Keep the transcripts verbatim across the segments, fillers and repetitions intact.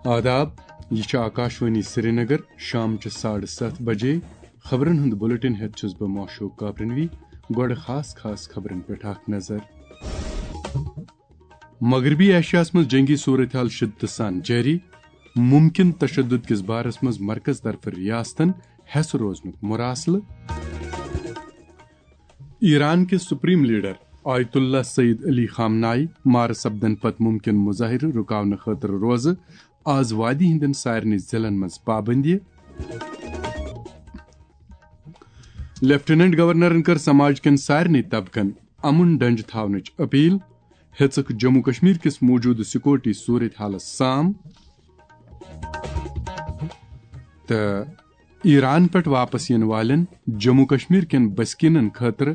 آداب، یہِ چھِ آکاشوانی سرینگر، شام چہِ ساڑٕ ستھ بجے۔ خبرن ہُنٛد بلیٹن ہٮ۪تھ چھُس بہٕ معشوق کاپرنوی۔ گۄڈٕ خاص خاص خبرن پٮ۪ٹھ اکھ نظر۔ مغربی ایشیاہس منٛز جنگی صورتحال شدتہٕ سان جٲری، ممکن تشدد کِس بارس منٛز مرکز طرفہٕ ریاستن ہٮ۪س روزنُک مراسلہٕ۔ ایران کِس سپریم لیڈر آیت اللہ سعید علی خامنائی مارٕ سپدن پتہٕ ممکن مظاہرٕ رُکاونہٕ خٲطرٕ روزٕ آز وادی ہٕنٛدٮ۪ن سارنٕے ضلعن منٛز پابندی۔ لیفٹیننٹ گورنرن کٔر سماج کٮ۪ن سارنٕے طبقن امن ڈنجہِ تھاونٕچ اپیل، ہیژٕکھ جموں کشمیر کِس موجودٕ سیکورٹی صورت حالس سام۔ تہٕ ایران پٮ۪ٹھ واپس یِنہٕ والٮ۪ن جموں کشمیر کٮ۪ن بسکیٖنن خٲطرٕ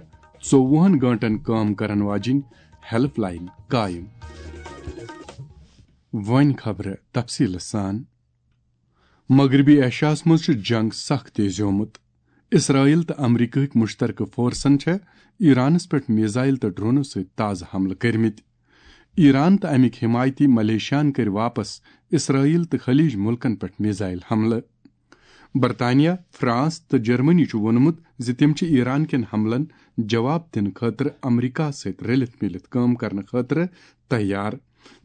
ژوٚوُہن گٲنٛٹن کٲم کرن واجِنۍ ہیلپ لاین قائم۔ وۄنۍ خبرٕ تفصیٖلہٕ سان۔ مغربی ایشیاہس منٛز چھُ جنگ سخ تیزیومُت۔ اسرائیل تہٕ امریکہٕکۍ مشترکہٕ فورسن چھےٚ ایرانس پٮ۪ٹھ میزائل تہٕ ڈرونو سۭتۍ تازٕ حملہٕ کٔرمٕتۍ۔ ایران تہٕ امیِکۍ حمایتی ملیشیاہن کٔرۍ واپس اسرائیل تہٕ خلیج ملکن پٮ۪ٹھ میزائل حملہٕ۔ برطانیہ، فرانس تہٕ جرمنی چھُ ووٚنمُت زِ تِم چھِ ایران کٮ۪ن حملن جواب دِنہٕ خٲطرٕ امریکہ سۭتۍ رٔلِتھ میٖلِتھ کٲم کرنہٕ خٲطرٕ تیار،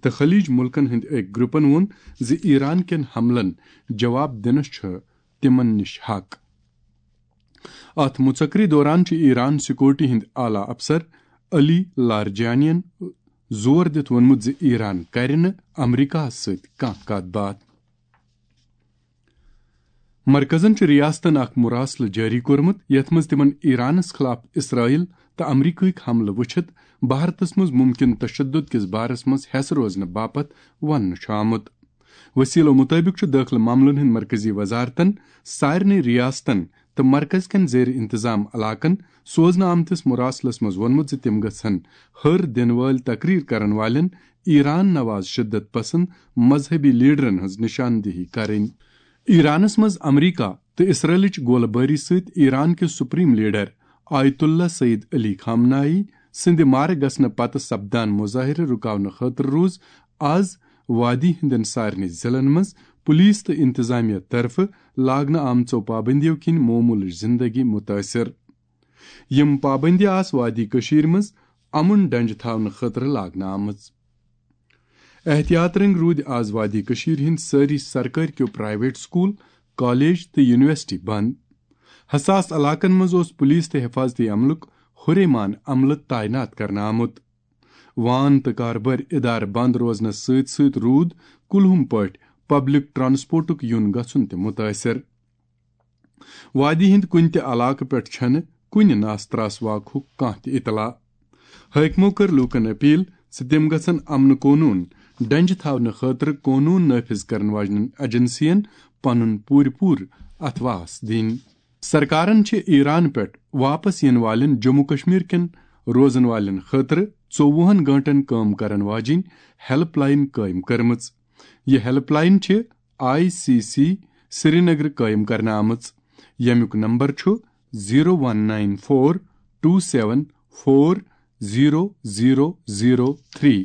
تہٕ خلیج ملکن ہٕنٛدۍ أکۍ گروپن ووٚن زِ ایران کٮ۪ن حملن جواب دِنس چھُ تِمن نِش حق۔ اتھ مُژکری دوران چھُ ایران سیکورٹی ہٕنٛدۍ اعلیٰ افسر علی لارجانین زور دِتھ ووٚنمُت زِ ایران کرِ نہٕ امریکہس سۭتۍ کانٛہہ کتھ باتھ۔ مرکزن چھُ ریاستن اکھ مراسلہٕ جٲری کوٚرمُت، یتھ منٛز تِمن ایرانس خلاف اسرائیل تہٕ امریکہٕکۍ حملہٕ وٕچھِتھ بھارتس منٛز ممکن تشدد کِس بارس منٛز ہٮ۪س روزنہٕ باپتھ وننہٕ چھُ آمُت۔ وسیلو مطٲبق چھُ دٲخلہٕ معاملن ہٕنٛدۍ مرکزی وزارتن سارنٕے ریاستن تہٕ مرکز کٮ۪ن زیر انتظام علاقن سوزنہٕ آمتِس مراسلس منٛز ووٚنمُت زِ تِم گژھن ہر دِنہٕ وٲلۍ تقریر کرن والٮ۪ن ایران نواز شدت پسند مذہبی لیڈرن ہٕنٛز نشاندہی کرٕنۍ۔ ایرانس منٛز امریکہ تہٕ اسرائیلٕچ گولہٕ بٲری سۭتۍ ایران کِس سپریم لیڈر آیت اللہ سعید علی خامنائی سٕنٛدِ مارٕ گژھنہٕ پتہٕ سپدان مظاہرٕ رُکاونہٕ خٲطرٕ روٗز آز وادی ہٕنٛدٮ۪ن سارنٕے ضلعن منٛز پولیس تہٕ انتظامیہ طرفہٕ لاگنہٕ آمژو پابندیو کِنۍ معموٗلٕچ زندگی متٲثر۔ یِم پابندی آسہٕ وادی کٔشیٖرِ منٛز امن ڈنجہِ تھاونہٕ خٲطرٕ لاگنہٕ آمٕژ۔ احتیاط رنگۍ روٗدۍ آز وادی کٔشیٖرِ ہٕنٛدۍ سٲری سرکٲرۍ کیو پرائیویٹ سکول، کالج تہٕ یونیورسٹی بند۔ حساس علاقن منٛز اوس پولیس تہٕ حفاظتی عملُک ہُریمان عملہٕ تعینات کرنہٕ آمُت۔ وان تہٕ کاربٲرۍ ادارٕ بند روزنس سۭتۍ سۭتۍ روٗد کُلہُم پٲٹھۍ پبلک ٹرانسپورٹُک یُن گژھُن تہِ متٲثر۔ وادی ہٕنٛدۍ کُنہِ تہِ علاقہٕ پٮ۪ٹھ چھنہٕ کُنہِ ناس تراس واقعُک کانٛہہ تہِ اطلاع۔ حٲکمو کٔر لوٗکن اپیل زِ تِم گژھن امن قونوٗن ڈنجہِ تھاونہٕ خٲطرٕ قونوٗن نافذ کرن واجنٮ۪ن ایجنسین پنُن پوٗرٕ پوٗرٕ اتھواس دِنۍ۔ سرکارن چھِ ایران پٮ۪ٹھ واپس یِنہٕ والٮ۪ن جموں کشمیر کٮ۪ن روزن والٮ۪ن خٲطرٕ ژوٚوُہن گٲنٛٹن کٲم کرن واجِنۍ ہیلپ لاین قٲیِم کٔرمٕژ۔ یہِ ہیلپ لاین چھِ آئی سی سی سرینگر قٲیِم کرنہٕ آمٕژ، ییٚمیُک نمبر چھُ zero one nine four two seven four zero zero zero three.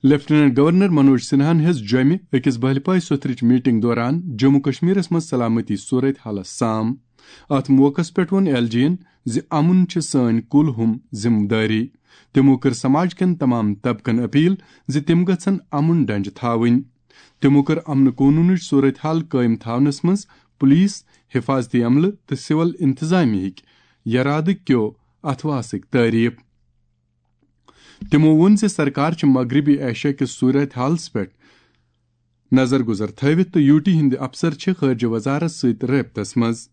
Lieutenant governor Manoj سنہاہن ہیٚژ جوٚمہِ أکِس بہلپاے سوٚتھرٕچ میٹنگ دوران جموں کشمیرس منٛز سلامتی صورت حالس سام۔ اتھ موقعس پٮ۪ٹھ ووٚن ایل جی ین زِ امن چھِ سٲنۍ کُلہُم ذمہٕ دٲری۔ تِمو کٔر سماج کٮ۪ن تمام طبقن اپیل زِ تِم گژھن امن ڈنجہِ تھاوٕنۍ۔ تِمو کٔر امن قونوٗنٕچ صورت حال قٲیِم تھاونس منٛز پولیس، حفاظتی عملہٕ تہٕ سول انتظامیہ ہٕکۍ یرادٕ کیو اتھواسٕکۍ تعریف۔ تِمو ووٚن زِ سرکار چھِ مغربی ایشیا کِس صورت حالس پٮ۪ٹھ نظر گزر تھٲوِتھ تہٕ یوٗ ٹی ہٕنٛدۍ افسر چھِ خارجہ وزارت سۭتۍ رٲبطس منٛز۔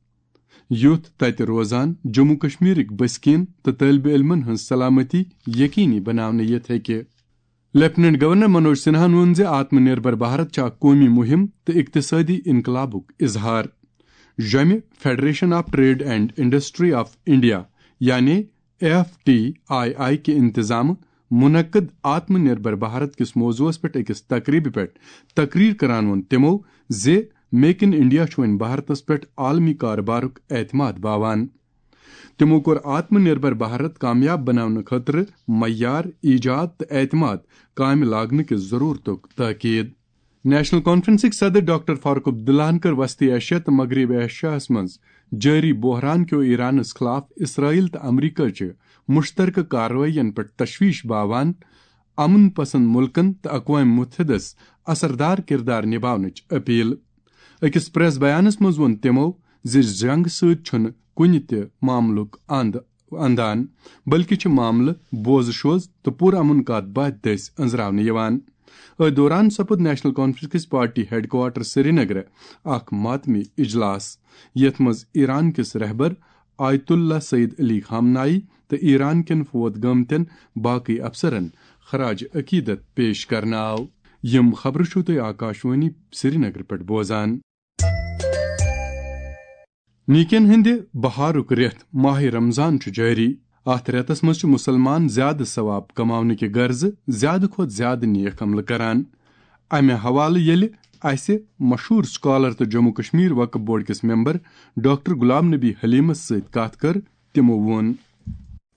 یُتھ تتہِ روزان جموں کشمیرٕکۍ بسکیٖن تہٕ طٲلبہِ علمن ہٕنٛز سلامتی یقینی بناونہٕ یِتھ ہیٚکہِ۔ لیفٹیننٹ گورنر منوج سنہاہن ووٚن زِ آتم نربھر بھارت چھِ اکھ قومی مہم تہٕ اقتصٲدی انقلابُک اظہار۔ جوٚمہِ federation of trade and industry of India, یعنی ایف ٹی آئی آئی کہِ انتظامہٕ منعقد آتم نربھر بھارت کِس موضوعس پٮ۪ٹھ أکِس تقریبہِ پٮ۪ٹھ تقریر کران ووٚن تِمو زِ میک ان انڈیا چھُ وۄنۍ بھارتس پٮ۪ٹھ عالمی کارٕبارُک اعتماد باوان۔ تِمو کوٚر آتم نربھر بھارت کامیاب بناونہٕ خٲطرٕ معیار، ایجاد تہٕ اعتماد کامہِ لاگنہٕ کِس ضرورتُک تاکید۔ نیشنل کانفرنسٕکۍ صدر ڈاکٹر فاروق عبداللہن کٔر وسطی ایشیا تہٕ مغربی ایشیاہس منٛز جٲری بحران کیو ایرانس خلاف اسرائیل تہٕ امریکہ چہِ مشترکہ کاروٲیین پٮ۪ٹھ تشویش باوان امن پسند ملکن تہٕ اقوام متحدس اثردار کردار نباونٕچ اپیل۔ أکِس پریس بیانس منٛز ووٚن تِمو زِ جنگ سۭتۍ چھُنہٕ کُنہِ تہِ معاملُک اند اندان، بلکہِ چھِ معاملہٕ بوزٕ شوز تہٕ پُرامن کتھ باتھ دٔسۍ أنٛزراونہٕ یِوان۔ أتھۍ دوران سپُد نیشنل کانفرنس کِس پارٹی ہیڈ کوارٹر سرینگرٕ اکھ ماتمی اجلاس، یتھ منٛز ایران کِس رہبر آیت اللہ سید علی خامنائی تہٕ ایران کٮ۪ن فوت گٲمتٮ۪ن باقٕے افسرن خراج عقیدت پیش کرنہٕ آو۔ یِم خبرٕ چھِو تُہۍ آکاشوانی سرینگرٕ پٮ۪ٹھ بوزان۔ نیکین ہٕنٛدِ بہارُک رٮ۪تھ ماہِ رمضان چھُ جٲری۔ اَتھ رٮ۪تس منٛز چھِ مُسلمان زیادٕ ثواب کماونہٕ کہِ غرضہٕ زیادٕ کھۄتہٕ زیادٕ نیک عملہٕ کران۔ امہِ حوالہٕ ییٚلہِ اسہِ مشہوٗر سکالر تہٕ جموں کشمیر وقف بورڈ کِس ممبر ڈاکٹر غلام نبی حلیمس سۭتۍ کتھ کٔر، تِمو ووٚن۔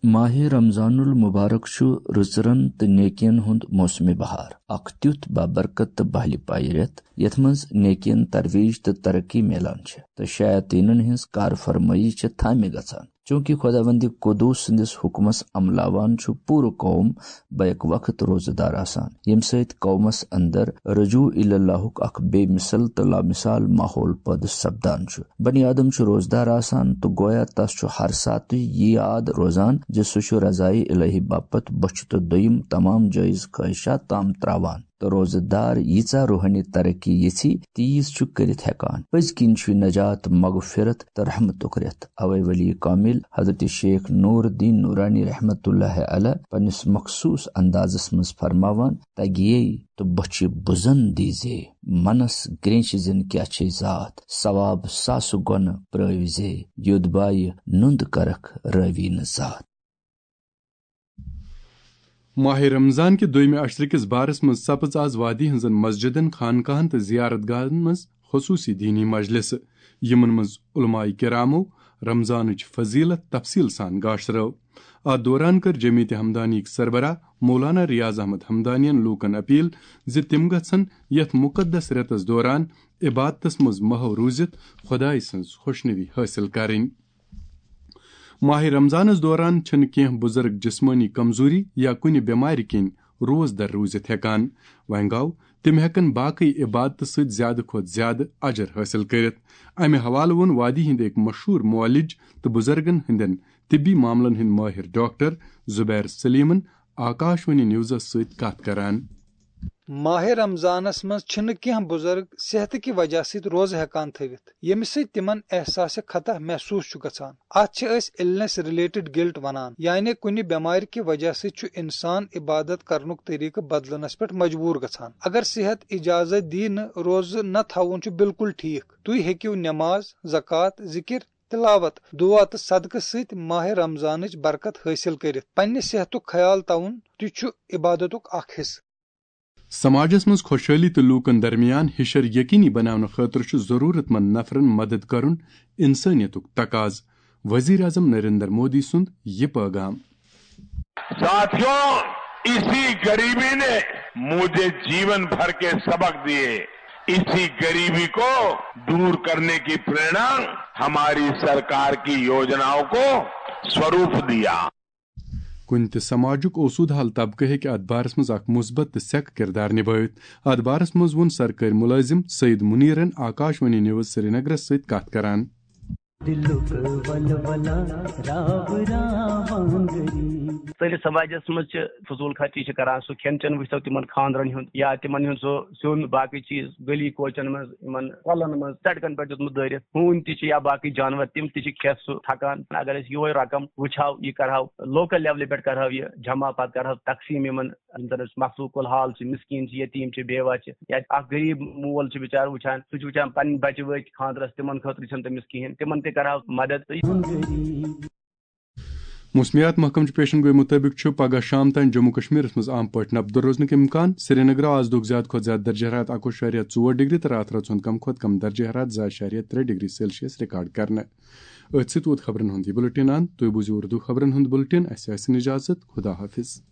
ماہِ رمضان المبارک چھُ رٕژرن تہٕ نیکین ہُنٛد موسمِ بہار، اکھ تیُتھ بابرکت تہٕ بہلہِ پایہِ رٮ۪تھ، یتھ منٛز نیکین ترویج تہٕ ترقی میلان چھِ، تہٕ شیاطینن ہٕنٛز کار فرمٲیی چھِ تھامہِ گژھان۔ چونکہ خداوند قدوس سٕنٛدِس حکمس عملاوان چھُ پوٗرٕ قوم بیک وقت روزٕ دار آسان، ییٚمہِ سۭتۍ قومس اندر رجوع الی اللہُک اکھ بے مثل تہٕ لامثال ماحول پٲدٕ سپدان چھُ۔ بنی آدم چھُ روزٕ دار آسان تہٕ گویا تس چھُ ہر ساتہٕ یہِ یاد روزان زِ سُہ چھُ رضایہِ الہی باپتھ بۄچھِ تہٕ دوٚیِم تمام جٲیز خٲہشات تام تراوان۔ تہٕ روزٕ دار ییٖژاہ روحٲنی ترقی یژھِ، تیٖژ چھُ کٔرِتھ ہٮ۪کان۔ پٔزۍ کِنۍ چھُ نجات، مغفرت تہٕ رحمتُک رٮ۪تھ۔ اوے ولی کامل حضرت شیخ نور الدین نورانی رحمت اللہ علیہ پننِس مخصوص اندازس منٛز فرماوان، تگیے تہٕ بۄچھِ بُزن دیٖزے، منس گرینچ زن کیاہ چھے ذات، ثواب ساسہٕ گۄنہٕ پرٲوۍ زے، یوٚد بایہِ نُند کرکھ رٲوی نہٕ ذات۔ ماہِ رمضان کہِ دوٚیمہِ عشرٕ کِس بارس منٛز سپٕژ آز وادی ہٕنٛزن مسجدن، خانقاہن تہٕ زیارت گاہن منٛز خصوٗصی دینی مجلسہٕ، یِمن منٛز علماء کرامو رمضانٕچ فضیلت تفصیل سان گاشرٲو۔ اتھ دوران کٔر جمعیت ہمدانیٕکۍ سربراہ مولانا ریاض احمد ہمدانین لوٗکن اپیل زِ تِم گژھن یتھ مقدس رٮ۪تس دوران عبادتس منٛز محو روٗزِتھ خۄداے سٕنٛز خۄشنوی حٲصِل کرٕنۍ۔ ماہِ رمضانس دوران چھِنہٕ کینٛہہ بُزرگ جسمٲنی کمزوری یا کُنہِ بٮ۪مارِ کِنۍ روزٕ در روٗزِتھ ہٮ۪کان۔ وۄنۍ گوٚو، تِم ہٮ۪کن باقٕے عبادتہٕ سۭتۍ زیادٕ کھۄتہٕ زیادٕ اجر حٲصِل کٔرِتھ۔ امہِ حوالہٕ ووٚن وادی ہٕنٛدۍ أکۍ مشہوٗر معالج تہٕ بُزرگن ہٕنٛدٮ۪ن طبی معاملن ہٕنٛدۍ مٲہِر ڈاکٹر زبیر سلیمن آکاشوانی نیوزس سۭتۍ کتھ کران۔ ماہِ رمضانس منٛز چھِنہٕ کینٛہہ بُزرگ صحتہٕ کہِ وجہ سۭتۍ روزٕ ہٮ۪کان تھٲوِتھ، ییٚمہِ سۭتۍ تِمن احساسِ خطا محسوٗس چھُ گژھان۔ اتھ چھِ أسۍ النس ریلیٹڈ گلٹ ونان، یعنی کُنہِ بٮ۪مارِ کہِ وجہ سۭتۍ چھُ انسان عبادت کرنُک طریقہٕ بدلنس پٮ۪ٹھ مجبوٗر گژھان۔ اگر صحت اجازت دی نہٕ، روزٕ نہ تھاوُن چھُ بالکل ٹھیک۔ تُہۍ ہیٚکِو نماز، زکوٰۃ، ذکر، تلاوت، دعا تہٕ صدقہٕ سۭتۍ ماہِ رمضانٕچ برکت حٲصِل کٔرِتھ۔ پننہِ صحتُک خیال تھاوُن تہِ چھُ عبادتُک اکھ حصہٕ۔ سماجس منٛز خۄشحٲلی تہٕ لوٗکن درمیان ہِشر یقینی بناونہٕ خٲطرٕ چھُ ضروٗرت مند نفرن مدد کرُن انسٲنیتُک تقاضہٕ۔ وزیر اعظم نریندر مودی سُنٛد یہِ پٲغام۔ साथियों, इसी गरीबी ने मुझे जीवन भर के सबक दिए। इसी गरीबी को दूर करने की प्रेरणा हमारी सरकार की योजनाओं को स्वरूप दिया। کُنہِ تہِ سماجُک اوسوٗد حال طبقہٕ ہیٚکہِ اتھ بارس منٛز اکھ مثبت تہٕ سیٚکہٕ کردار نبٲوِتھ۔ اتھ بارس منٛز ووٚن سرکٲرۍ مُلٲزِم سعید منیرن آکاشوانی نیوز سرینگرس سۭتۍ کتھ کران۔ دِلُک ولولہ راو راوان گٔے۔ سٲنِس سماجس منٛز چھِ فضوٗل خرچی چھِ کران، سُہ کھٮ۪ن چٮ۪ن وٕچھتو تِمن خانٛدرن ہُنٛد یا تِمن ہُنٛد سُہ سیُن، باقٕے چیٖز، گلی کوچن منٛز، یِمن کۄلن منٛز، سڑکن پٮ۪ٹھ دیُتمُت دٲرِتھ۔ ہوٗنۍ تہِ چھِ یا باقٕے جانور، تِم تہِ چھِ کھٮ۪تھ سُہ تھکان۔ اگر أسۍ یِہوے رقم وٕچھہاو، یہِ کرہاو لوکل لیولہِ پٮ۪ٹھ کرہاو یہِ جمع، پتہٕ کرہاو تقسیٖم یِمن یِم زن أسۍ مخلوق الحال چھِ، مسکیٖن چھِ، یتیٖم چھِ، بیوہ چھِ، یا اکھ غریٖب مول چھُ بِچارٕ وٕچھان، سُہ چھُ وٕچھان پنٕنۍ بچہِ وٲتۍ خانٛدرس، تِمن خٲطرٕ چھَنہٕ تٔمِس کِہیٖنۍ، تِمن تہِ کرہاو مدد۔ موسمیات محکمہٕ چہِ پیشن گویی مُطٲبِق چھُ پگہہ شام تام جموں کشمیرس منٛز عام پٲٹھۍ نبدٕ روزنُک امکان۔ سرینگرٕ آز دۄہُک زیادٕ کھۄتہٕ زیادٕ درجہ حرارت اَکوُہ اَشاریہ ژور ڈگری تہٕ راتھ رٲژ ہُنٛد کم کھۄتہٕ کم درجہ حرارت زٕ اَشاریہ ترٛےٚ ڈگری سیلسیس ریکارڈ کرنہٕ۔ أتھۍ سۭتۍ ووت خبرن ہُنٛد یہِ بُلٹن اند۔ تُہۍ بوٗزِو اردو خبرن ہُنٛد بُلٹن۔ اَسہِ آسہِ اجازت۔ خدا حافظ۔